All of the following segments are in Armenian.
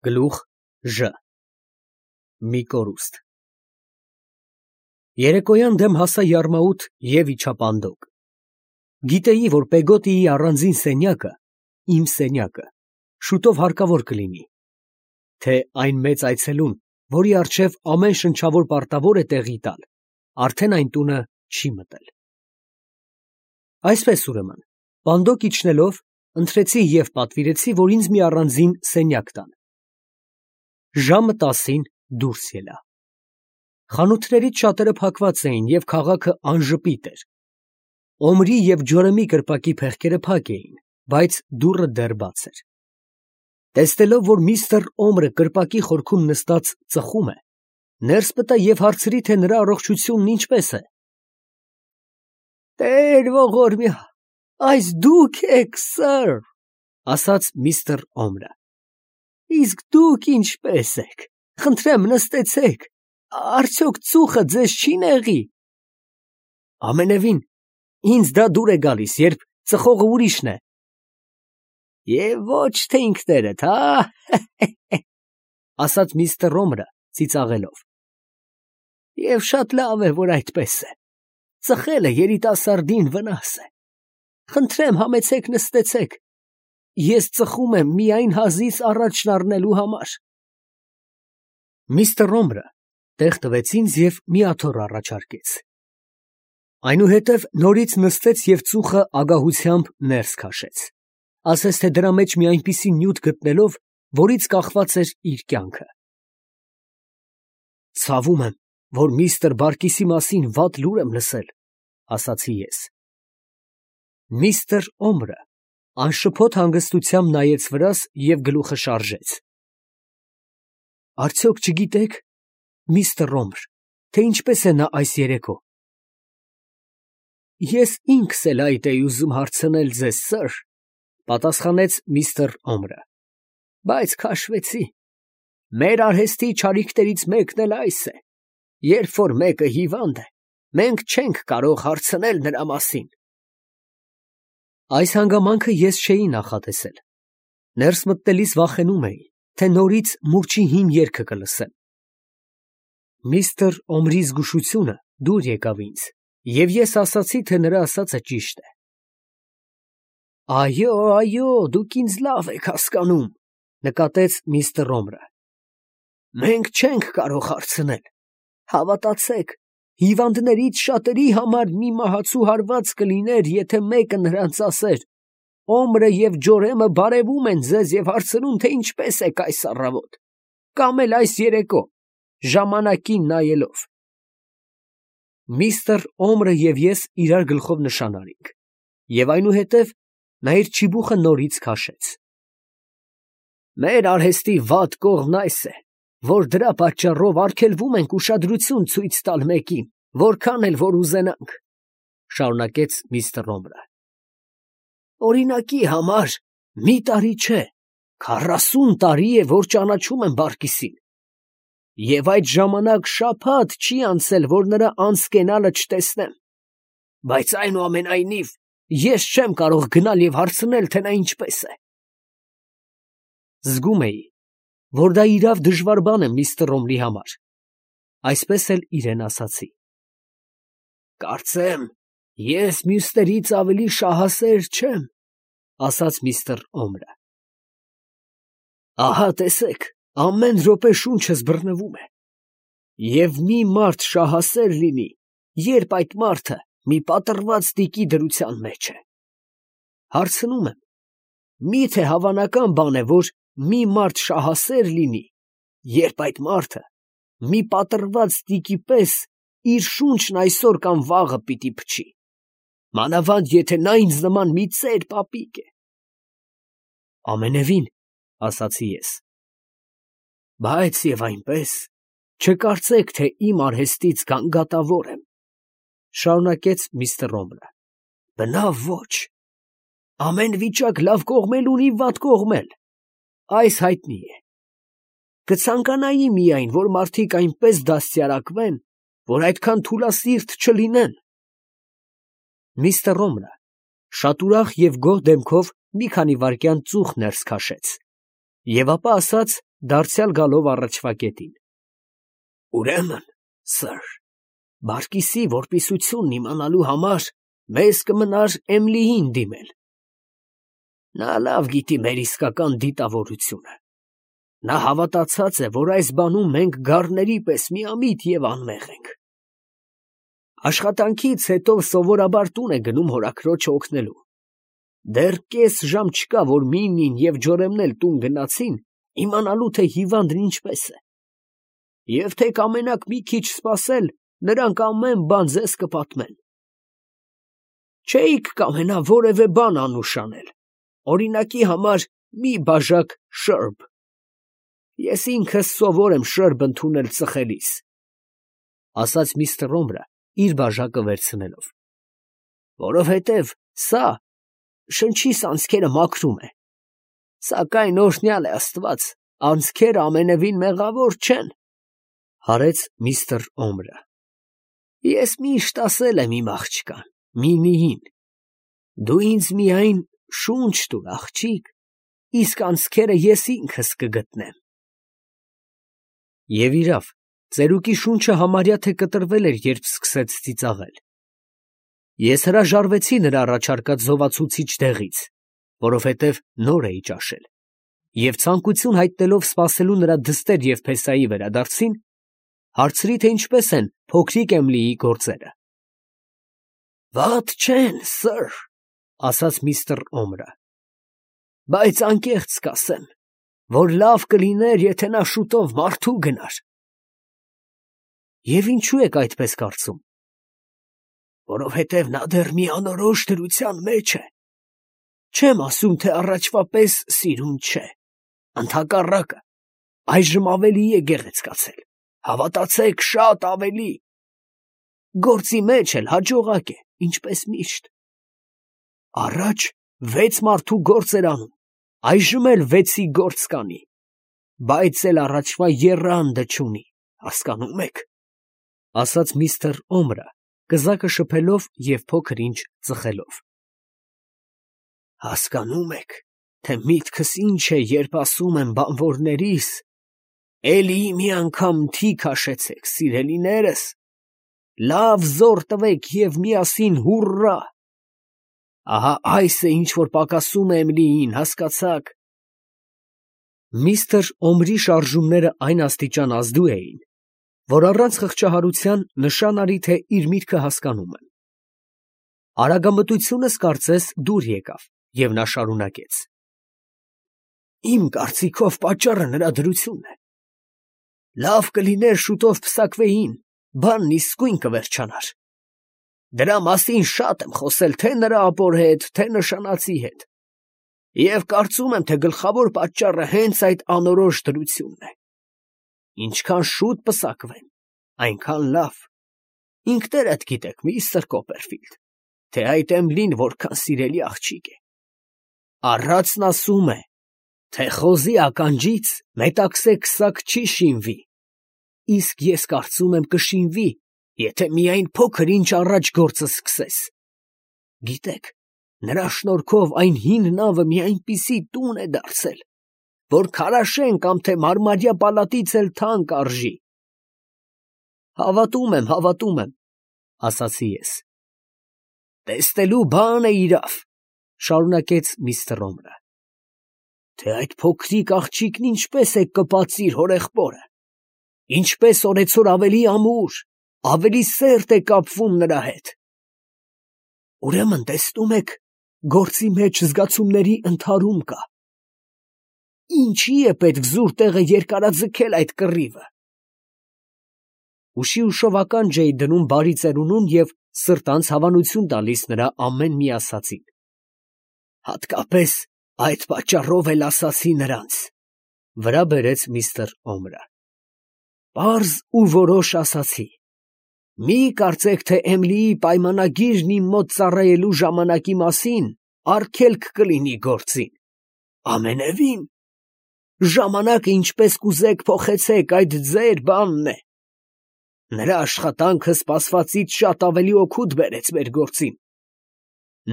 Գլուխ Ժ մի կորուստ Երեկոյան դեմ հասա Յարմաուտ և իջա Պանդոկ։ Գիտեի, որ Պեգոտիի առանձին սենյակը, իմ սենյակը, շուտով հարկավոր կլինի, թե այն մեծ այցելուն, որի առջև ամեն շնչավոր պարտավոր է տեղի տալ, արդեն այն տունը չի մտել։ Այսպես ուրեմն, Պանդոկ իջնելով, ընտրեցի և պատվիրեցի, որ ինձ մի առանձին սենյակ տան։ Ժամը 10-ին դուրս ելա։ Խանութներից շատերը փակված էին և քաղաքը անժպիտ էր։ Օմրի և Ջորեմի կրպակի փեղկերը փակ էին, բայց դուռը դեռ բաց էր։ Տեսնելով, որ միստր Օմրը կրպակի խորքում նստած ծխում է, ներս մտա և հարցրի, թե նրա առողջությունն ինչպես է։ «Տեր ողորմյա, այս դուք եք, սըր, ասաց միստր Օմրը։ Իսկ դուք ինչպես եք, խնդրեմ նստեցեք, արդյոք ծուխը ձեզ չի նեղի։ Ամենևին, ինձ դա դուր է գալիս, երբ ծխողը ուրիշն է։ Եվ ոչ թե ինքներդ, հա, ասաց միստր Օմրը ծիծաղելով։ Եվ շատ լավ է, որ այդպես է։ Ծխելը երիտասարդին վնաս է։ Խնդրեմ համեցեք նստեցեք։ Ես ծխում եմ միայն հազիվ առաջ շնարհնելու համար։ Միստր Օմրը տեղ տվեց ինձ և մի աթոռ առաջարկեց։ Այնուհետև նորից նստեց և ծուխը ագահությամբ ներս քաշեց, ասես թե դրա մեջ մի այնպիսի նյութ գտնելով, որից կախված էր իր կյանքը։ Ցավում եմ, որ միստր Բարկիսի մասին վատ լուր եմ լսել, ասացի ես։ Միստր Օմրը անշփոթ հանգստությամբ նայեց վրաս և գլուխը շարժեց։ Արդյոք չգիտեք, միստր Օմր, թե ինչպես է նա այս երեկո։ Ես ինքս էլ այդ էի ուզում հարցնել ձեզ, սըր, պատասխանեց միստր Օմրը, բայց քաշվեցի։ Մեր արհեստի չարիքներից մեկն էլ այս է. երբ որ մեկը հիվանդ է, մենք չենք կարող հարցնել նրա մասին։ Այս հանգամանքը ես չէի նախատեսել։ Ներս մտնելիս վախենում էի, թե նորից մուրճի հին երգը կլսեմ։ Միստր Օմրի զգուշությունը դուր եկավ ինձ, և ես ասացի, թե նրա ասածը ճիշտ է։ Այո, դուք ինձ լավ եք հասկանում, նկատեց միստր Օմրը։ Մենք չենք կարող հարցնել։ Հավատացեք, հիվանդներից շատերի համար մի մահացու հարված կլիներ, եթե մեկը նրանց ասեր. Օմրը և Ջորեմը բարևում են ձեզ և հարցնում, թե ինչպես եք այս առավոտ, կամ էլ այս երեկո, ժամանակին նայելով։ Միստր Օմրը և ես իրար գլխով նշան արինք, և այնուհետև նա իր չիբուխը նորից քաշեց։ Մեր արհեստի վատ կողմն այս է, որ դրա պատճառով արգելվում ենք ուշադրություն ցույց տալ մեկին, որքան էլ որ ուզենանք, շարունակեց միստր Օմրը։ Օրինակի համար, մի տարի չէ, 40 տարի է, որ ճանաչում եմ Բարկիսին, և այդ ժամանակ շաբաթ չի անցել, որ նրա անցկենալը չտեսնեմ, բայց այնուամենայնիվ ես չեմ կարող գնալ և հարցնել, թե նա ինչպես է։ Զգում էի, որ դա իրավ դժվար բան է միստր Օմրի համար, այսպես էլ իրեն ասացի։ Կարծեմ, ես մյուսներից ավելի շահասեր չեմ, ասաց միստր Օմրը։ Ահա տեսեք, ամեն րոպե շունչս բռնվում է։ Եվ մի մարդ շահասեր լինի, երբ այդ մարդը մի պատռված տիկի դրության մեջ է։ Հարցնում եմ, միթե հավանական բան է, որ մի մարդ շահասեր լինի, երբ այդ մարդը մի պատռված տիկի պես իր շունչն այսօր կամ վաղը պիտի փչի, մանավանդ եթե նա ինձ նման մի ծեր պապիկ է։ Ամենևին, ասացի ես։ Բայց և այնպես, չկարծեք, թե իմ արհեստից գանգատավոր եմ, շարունակեց միստր Օմրը։ Բնավ ոչ։ Ամեն վիճակ լավ կողմ էլ ունի, վատ կողմ էլ, այս հայտնի է։ Կցանկանայի միայն, որ մարդիկ այնպես դաստիարակվեն, որ այդքան թուլասիրտ չլինեն։ Միստր Օմրը շատ ուրախ և գոհ դեմքով մի քանի վայրկյան ծուխ ներս քաշեց, և ապա ասաց, դարձյալ գալով առաջվա կետին։ Ուրեմն, սըր, բարկիսի որպիսությունն իմանալու համար մեզ կմնար Էմլիին դիմել։ Նա լավ գիտի մեր իսկական դիտավորությունը։ Նա հավատացած է, որ այս բանում մենք գառների պես միամիտ և անմեղ ենք։ Աշխատանքից հետո սովորաբար տուն է գնում հորաքրոջը օգնելու։ Դեռ կես ժամ չկա, որ Մինին և Ջորեմն էլ տուն գնացին, իմանալու թե հիվանդն ինչպես է։ Եվ թե կամենաք մի քիչ սպասել, նրանք ամեն բան ձեզ կպատմեն։ Չէիք կամենա որևէ բան անուշ անել, օրինակի համար մի բաժակ շըրբ։ Ես ինքս սովոր եմ շըրբ ընդունել ծխելիս, ասաց միստր Օմրը իր բաժակը վերցնելով, որովհետև սա շնչիս անցքերը մաքրում է, սակայն օրհնյալ է Աստված, անցքերը ամենևին մեղավոր չեն, հարեց միստր Օմրը։ Ես միշտ ասել եմ իմ աղջկան, Մինիին, դու ինձ միայն շունչ տուր, աղջիկ, իսկ անցքերը ես ինքս կգտնեմ։ Եվ իրավ, ծերուկի շունչը համարյա թե կտրվել էր, երբ սկսեց ծիծաղել։ Ես հրաժարվեցի նրա առաջարկած զովացուցիչ դեղից, որովհետև նոր էի ճաշել, և ցանկություն հայտնելով սպասելու նրա դստեր և փեսայի վերադարձին, հարցրի, թե ինչպես են փոքրիկ Էմլիի գործերը։ Վատ չեն, սըր, ասաց միստր Օմրը, բայց անկեղծ կասեմ, որ լավ կլիներ, եթե նա շուտով մարդու գնար։ Եվ ինչու եք այդպես կարծում։ Որովհետև նա դեռ մի անորոշ դրության մեջ է։ Չեմ ասում, թե առաջվա պես սիրուն չէ, ընդհակառակը, այժմ ավելի է գեղեցկացել, հավատացեք, շատ ավելի։ Գործի մեջ էլ հաջողակ է, ինչպես միշտ։ Առաջ 6 մարդու գործ էր անում, այժմ էլ 6-ի գործ կանի, բայց էլ առաջվա եռանդը չունի, հասկանում եք, ասաց միստր Օմրը, կզակը շփելով և փոքր ինչ ծխելով։ Հասկանում եք, թե միտքս ինչ է, երբ ասում եմ բանվորներիս, էլի մի անգամ թի քաշեցեք, սիրելիներս, լավ զոռ տվեք և միասին հուռա։ Ահա այս է, ինչ որ պակասում է Էմլիին, հասկացաք։ Միստր Օմրի շարժումները այն աստիճան ազդու էին, որ առանց խղճահարության նշան արի, թե իր միտքը հասկանում եմ։ Արագամտությունս կարծես դուր եկավ, և նա շարունակեց. Իմ կարծիքով պատճառը նրա դրությունն է։ Լավ կլիներ շուտով պսակվեին, բանն իսկույն կվերջանար։ Դրա մասին շատ եմ խոսել թե նրա ապոր հետ, թե նշանածի հետ, և կարծում եմ, թե գլխավոր պատճառը հենց այդ անորոշ դրությունն է։ Ինչքան շուտ պսակվեն, այնքան լավ։ Ինքներդ գիտեք, միստր Կոպերֆիլդ, թե այդ Էմլին որքան սիրելի աղջիկ է։ Առածն ասում է, թե խոզի ականջից մետաքսե քսակ չի շինվի, իսկ ես կարծում եմ կշինվի, եթե միայն փոքր ինչ առաջ գործը սկսես։ Գիտեք, նրա շնորհքով այն հին նավը մի այնպիսի տուն է դարձել, որ քարաշեն կամ թե մարմարյա պալատից էլ թանկ արժի։ Հավատում եմ, ասացի ես։ Տեսնելու բան է իրավ, շարունակեց միստր Օմրը, թե այդ փոքրիկ աղջիկն ինչպես է կպած իր հորեղբորը, ինչպես օրեցօր ավելի ամուր, ավելի սերտ է կապվում նրա հետ։ Ուրեմն տեսնում եք, գործի մեջ զգացումների ընդհարում կա։ Ինչի է պետք զուր տեղը երկարաձգել այդ կռիվը։ Ուշի ուշով ականջ էի դնում բարի ծերունուն և սրտանց հավանություն տալիս նրա ամեն մի ասածին։ Հատկապես այդ պատճառով էլ ասացի նրանց, վրա բերեց միստր Օմրը։ Պարզ ու որոշ ասացի. մի կարծեք, թե Էմլիի պայմանագիրն իմ մոտ ծառայելու ժամանակի մասին արգելք կլինի գործին։ Ամենևին, ժամանակը ինչպես կուզեք փոխեցեք, այդ ձեր բանն է։ Նրա աշխատանքը սպասվածից շատ ավելի օգուտ բերեց մեր գործին։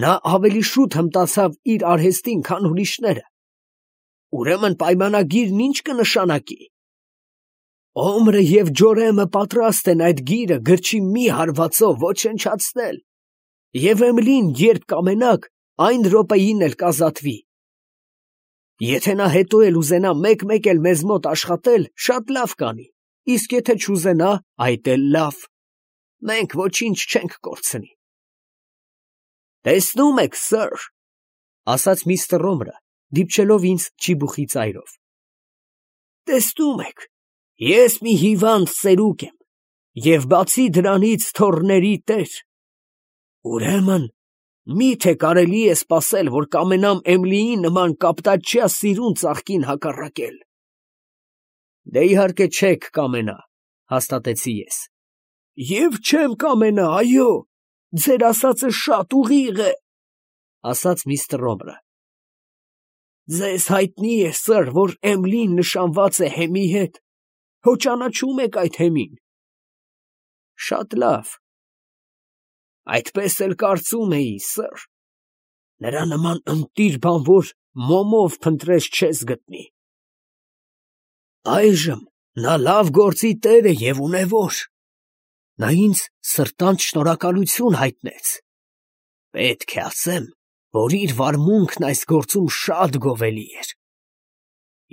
Նա ավելի շուտ հմտացավ իր արհեստին, քան ուրիշները։ Ուրեմն պայմանագիրն ինչ կնշանակի։ Օմրը և Ջորեմը պատրաստ են այդ գիրը գրչի մի հարվածով ոչնչացնել, և Էմլին, երբ կամենաք, այն րոպեին էլ կազատվի։ Եթե նա հետո էլ ուզենա մեկ-մեկ էլ մեզ մոտ աշխատել, շատ լավ կանի, իսկ եթե չուզենա, այդ էլ լավ, մենք ոչինչ չենք կորցնի։ Տեսնում եք, սըր, ասաց միստր Օմրը, դիպչելով ինձ ճիբուխի ծայրով։ Տեսնում եք, ես մի հիվանդ ծերուկ եմ, և բացի դրանից թոռների տեր։ Ուրեմն, մի՞թե կարելի է սպասել, որ կամենամ Էմլիի նման կապտաճյա սիրուն ծաղկին հակառակել։ Դե իհարկե չեք կամենա, հաստատեցի ես։ Եվ չեմ կամենա, այո, ձեր ասածը շատ ուղիղ է, ասաց միստր Օմրը։ Ձեզ հայտնի է, սըր, որ Էմլին նշանված է Հեմի հետ, հո ճանաչում եք այդ Հեմին։ Շատ լավ։ Այդպես էլ կարծում էի, սըր, նրա նման ընտիր բանվոր մոմով փնտրես չես գտնի։ Այժմ նա լավ գործի տեր է և ունևոր։ Նա ինձ սրտանց շնորհակալություն հայտնեց։ Պետք է ասեմ, որ իր վարմունքն այս գործում շատ գովելի էր։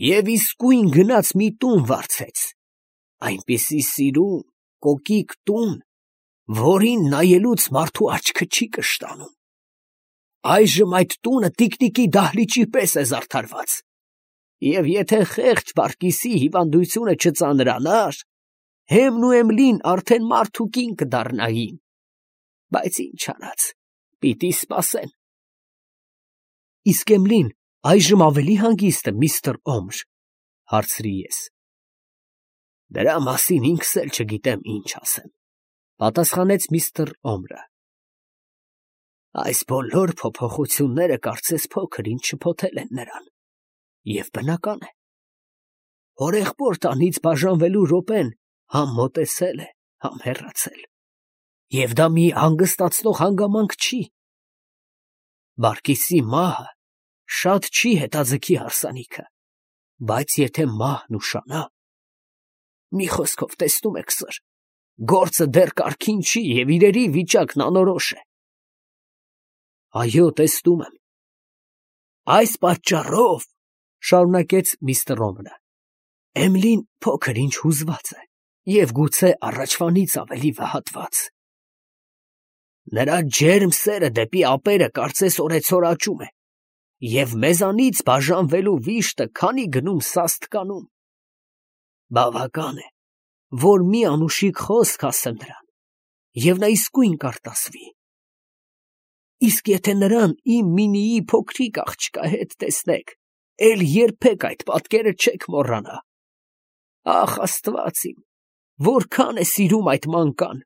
Եվ իսկույն գնաց մի տուն վարձեց, այնպիսի սիրուն, կոկիկ տուն, որին նայելուց մարդու աչքը չի կշտանում։ Այժմ այդ տունը տիկնիկի դահլիճի պես է զարդարված, և եթե խեղճ Բարկիսի հիվանդությունը չծանրանար, Հեմն ու Էմլին արդեն մարդ ու կին կդառնային, բայց ինչ արած, պիտի սպասեն։ Իսկ Էմլին այժմ ավելի հանգիստ է, միստր Օմր, հարցրի ես։ Դրա մասին ինքս էլ չգիտեմ ինչ ասեմ, պատասխանեց միստր Օմրը։ Այս բոլոր փոփոխությունները կարծես փոքր-ինչ շփոթել են նրան, և բնական է։ Հորեղբոր տանից բաժանվելու րոպեն համ մոտեցել է, համ հեռացել, և դա մի հանգստացնող հանգամանք չի։ Բարկիսի մահը շատ չի հետաձգի հարսանիքը, բայց եթե մահն ուշանա… Մի խոսքով, տեսնում եք, սըր, գործը դեռ կարգին չի և իրերի վիճակն անորոշ է։ Այո, տեսնում եմ։ Այս պատճառով, շարունակեց միստր Օմրը, Էմլին փոքր-ինչ հուզված է և գուցե առաջվանից ավելի վհատված։ Նրա ջերմ սերը դեպի ապերը կարծես օրեցօր աճում է, և մեզանից բաժանվելու վիշտը քանի գնում սաստ կանում։ Բավական է, որ մի անուշիկ խոսք ասեմ նրան, և նա իսկույն կարտասվի։ Իսկ եթե նրան իմ մինիի փոքրիկ աղջկա հետ տեսնեք, էլ երբեք այդ պատկերը չեք մոռանա։ Ախ, Աստված իմ, որքան է սիրում այդ մանկան,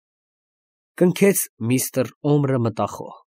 կնքեց միստր Օմրը մտախոհ։